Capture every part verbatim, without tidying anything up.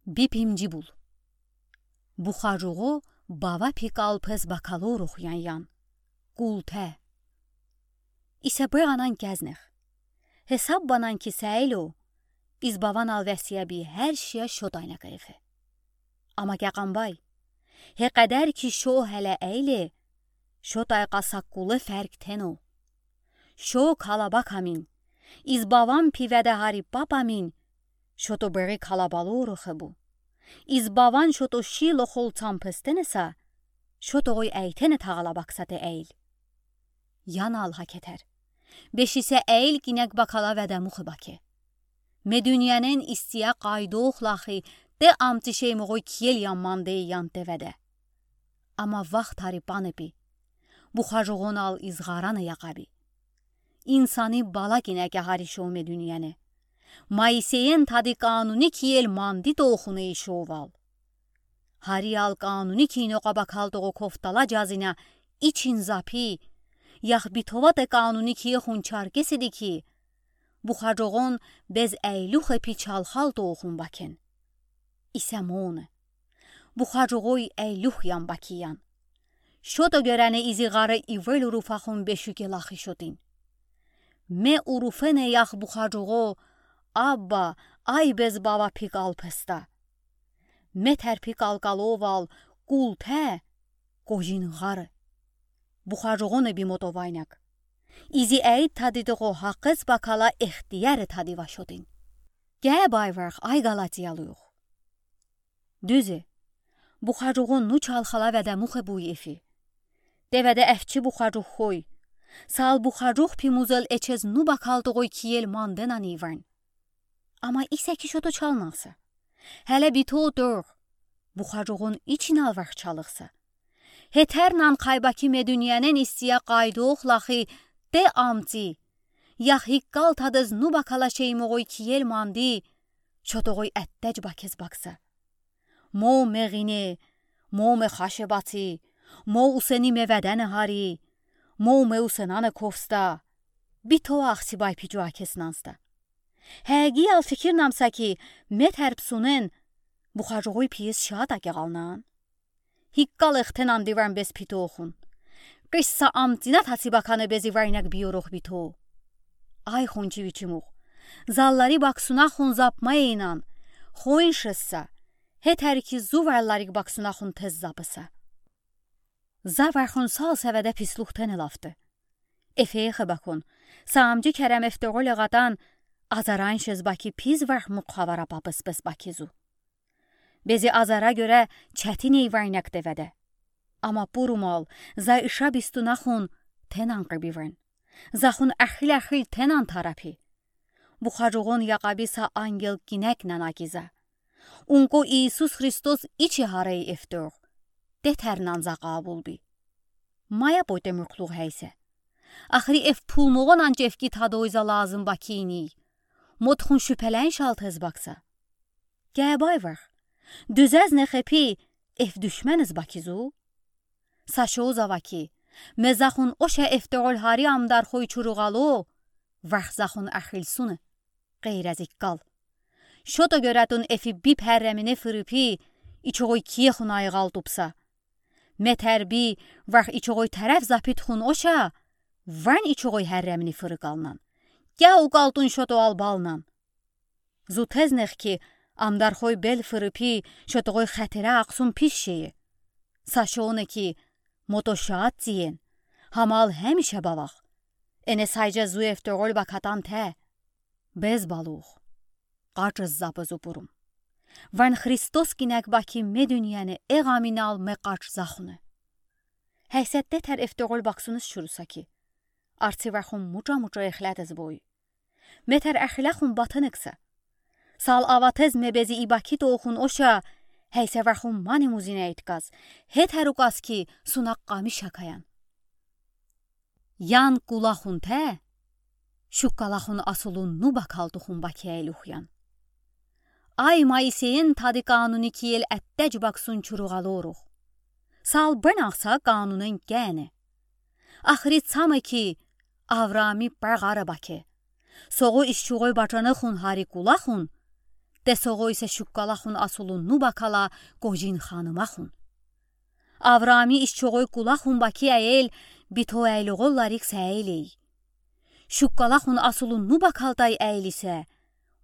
Bipimci bul. Buxacuğo bava pikal pes bakaloruxyan yan. Kultə. İsə bıranən kəznex. Hesab banan ki səylo, iz bavanal vəsiyə bi hər şiyə şotaynə keyfi. Amma kəqanbay, he qədər ki şo hələ əyli, şotay qasa kule fərq teno. Şo kalabak amin, iz bavan pivədə hari pap amin, şoto bıri kalabaloruxe bu. İz bavan şoto şi loxol çampestenəsə, şoto qoy əytenə tağalabaksa te əyl. Yanal haketər. Beşisə əyl kinək bakala vədəmuxe bake. Me dünyənin istiyə qaydox laxi, te amçi şeymoğoy kiyel yanman de yan te vədə. Amma vaxt hari pane pi. Buxacuğonal izğaranı yaqabi. İnsani bala kinəkə hari şo me dünyəni. Moiseyin tadı qanuni kiyel mandi toxunı işoval. Hariyal qanuni kino qabakal toğo koftala cazinə için zapi, yax bitovate qanuni kiye xunçar kesidi ki, buxacoğon bez əyluxe pi çalxal toxun baken. İsə mone. Buxacoğoy əyluxyan bakiyan. Şoto görəni izi ğarı ivıl urufaxun beşuke laxi şotin. Me urufenə yax buxacoğo, abba, ay bez bava pikal pesta. Me tərpi kalkaloval, kultə, qojin ğarı. Buxacoğonı bimoto vaynək. İzi əyid tadıdıqo haqıs bakala extiyəri tadıva şotin. Gəbay vırx, ay Qalatiyalıyox. Düzi, buxacoğon nu çalxala vədəmuxe buy efi. Te vədə əfçi buxacoğ xoy. Sal buxacoğ pi muzel eçez nu bakaltıqoy kiyel mandenən ivırn. Amma isə ki şoto çalnansa. Hələ bito dor. Buxacoğon içinal vırx çalıqsa. Hetərnən qayba ki me dünyənin istiyə qaydox laxi te amçi. Yax hikkal tadız nu bakala şeymoğoy kiyel mandi. Şotoğoy ətdəc bakez baksa. Mo me ğine, mo me xaşe bati, mo usəni me vədəni hari, mo me usənəni kofsta. Bito axsibay pico akesnansta. Həğiyal fikirnamsa ki, me tərpsunen, buxacoğoy piyes şaat ake ğalnan. Hikkal extenən divrən bez pitoxun. Qışsa amtinə tasi bakanı bezi vəynək biyorox bito. Ay xunçiviçimox. Zalları baksunaxun zapma eynan. Xoyun şıssa. Hetər ki zu vərlarik baksunaxun tez zapısa. Za vərxun sal səvədə pisluxtəni laftı. Efeyexe bakon. Saamcı kərəm eftoğo leğatan, azarayn şez baki piz vərx muqavara papıs pes baki zu. Bezi azara görə çətin ey vəynək te vədə. Amma purumal, za ışa bistunaxun tenən qıbivrən. Zaxun əxil-əxil tenən tarapi. Buxacoğon yaqabi sa angel kinəknən akiza. Unko İisus Xristos içi harey eftoğ. Detərnən za qabul bi. Maya poyte mürkluğ həysə. Axıri ef pulmoğonən cevki tadoyza lazım bakiniy. Motxun şübhələn şaltez baksa. Gəbay vırx. Düzəz nexepi ef düşməniz bakizu. Saşo zava ki, me zaxun oşə eftoğol hari amdarxoy çuruğalo, vırx zaxun əxilsunı. Ğeyrəz ikkal. Şoto görətun efi bip hərrəmini fırıpi, içoğoy kiyexun ayğal tupsa. Me tərbi vırx içoğoy tərəf zapitxun oşə, vən içoğoy hərrəmini fırıqalnan. Kə uqaltun şoto albalnan. Zu teznex ki, amdarxoy bel fırıpi, şotoğoy xətirə aqsun pis şeyi. Saşo ne ki, moto şaat tiyen, hamal həmişə bavax. Ene saycə zu eftoğol bakatan tə. Bez balux. Qaçız zapız upurum. Vən Xristos kinək baki me dünyəni eğaminal me qaç zaxunı. Həysə detər eftoğol baksunız şurusa ki. Artsi vəxun muça-muça exlətız boy. Metər əxiləxun batınıqsa. Sal avatez me bezi ibaki toxun oşə, həysə vəxun mani muzinə itkaz. Hetər uqaz ki, sunaq qamiş hakayan. Yan kulaxun tə, şukkalaxun asulun nu bakaltuxun bakiyəy luxyan. Ay Moiseyin tadı qanuni kiyel ətdəc baksun çuruğalorux. Sal bınaqsa qanunen kəni. Axıri çamı ki, Avrami pəğarı bake. Soğu işçuğoy baçanıxun hari kulaxun, Десоғоесэ шуккалахун асулунну бакала Кожин ханымахун. Авраами ишчоғой кулахун бакия эл бито айлоғолларик саилей. Шуккалахун асулунну бакалтай айлисэ,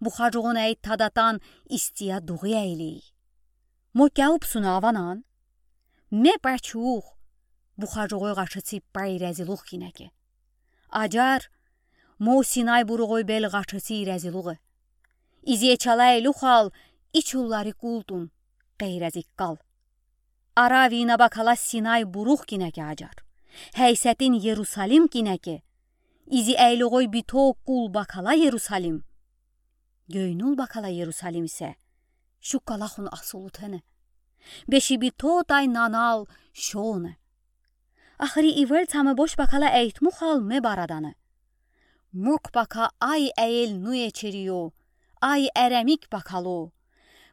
бухаджуғун айт тадатан истия дуғи айлей. Мо кяуб суна аванан? Ме пачух, бухаджуғой гашыци пай разилух кинеке. Аджар, мо Синай буруғой бел гашыци разилуғы. Изи ичала илюхал, ичуллари култун, къейразик кал. Аравина бакала Синай бурух кинеке аджар. Хайсетин Ерусалим кинеке. Изи айлюғой бито кул бакала Ерусалим. Гёйнул бакала Ерусалимсэ шуккалахун асулу тэне. Беши битотай нанал шоне. Ахри ивел цаме бош бакала эйтмухал ме бараданы. Мук бака ай эйел нуе черио, ай эремик бакало.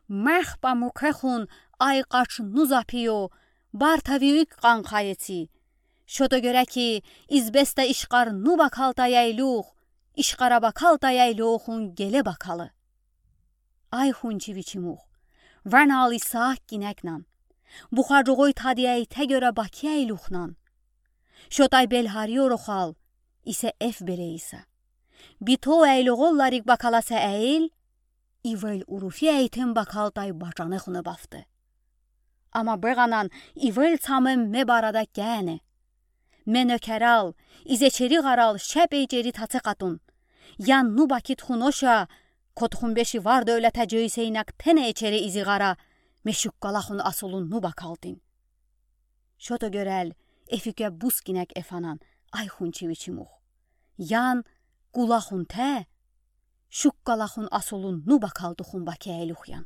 Мех ба мукехун ай къач ну запио, бар тави уйк къанхаеци. Шото гёре ки, избеста ишкъар ну бакалтай айлюх, ишкъара бакалтай айлюхун геле бакалы. Ай хунчи вичимух, ванал Исаак кинекнан. Бухаджуғой тади ай тегёра баки айлюхнан. Шотай бел гьарёрухал, исе эф белейса. Бито айлоғолларик бакаласа эйел, ивел уруфи эйтем бакалтай бачанехуне бафты. Ама бегъанан ивел цаме ме барада кяне. Ме нёкерал, изечери гъарал шеп эйчери таце къатун. Ян ну бакит хуноша, котхун беши вар дёлета джойсейнак тене эчере изи гъара, ме шуккалахун асулунну бакалтин. Шото гёрел, эфикъя бус кинек эфанан, ай хунчи вичимух. Ян кулахун тэ, шуккалахун асулунну бакалтухун баки айлюхъян.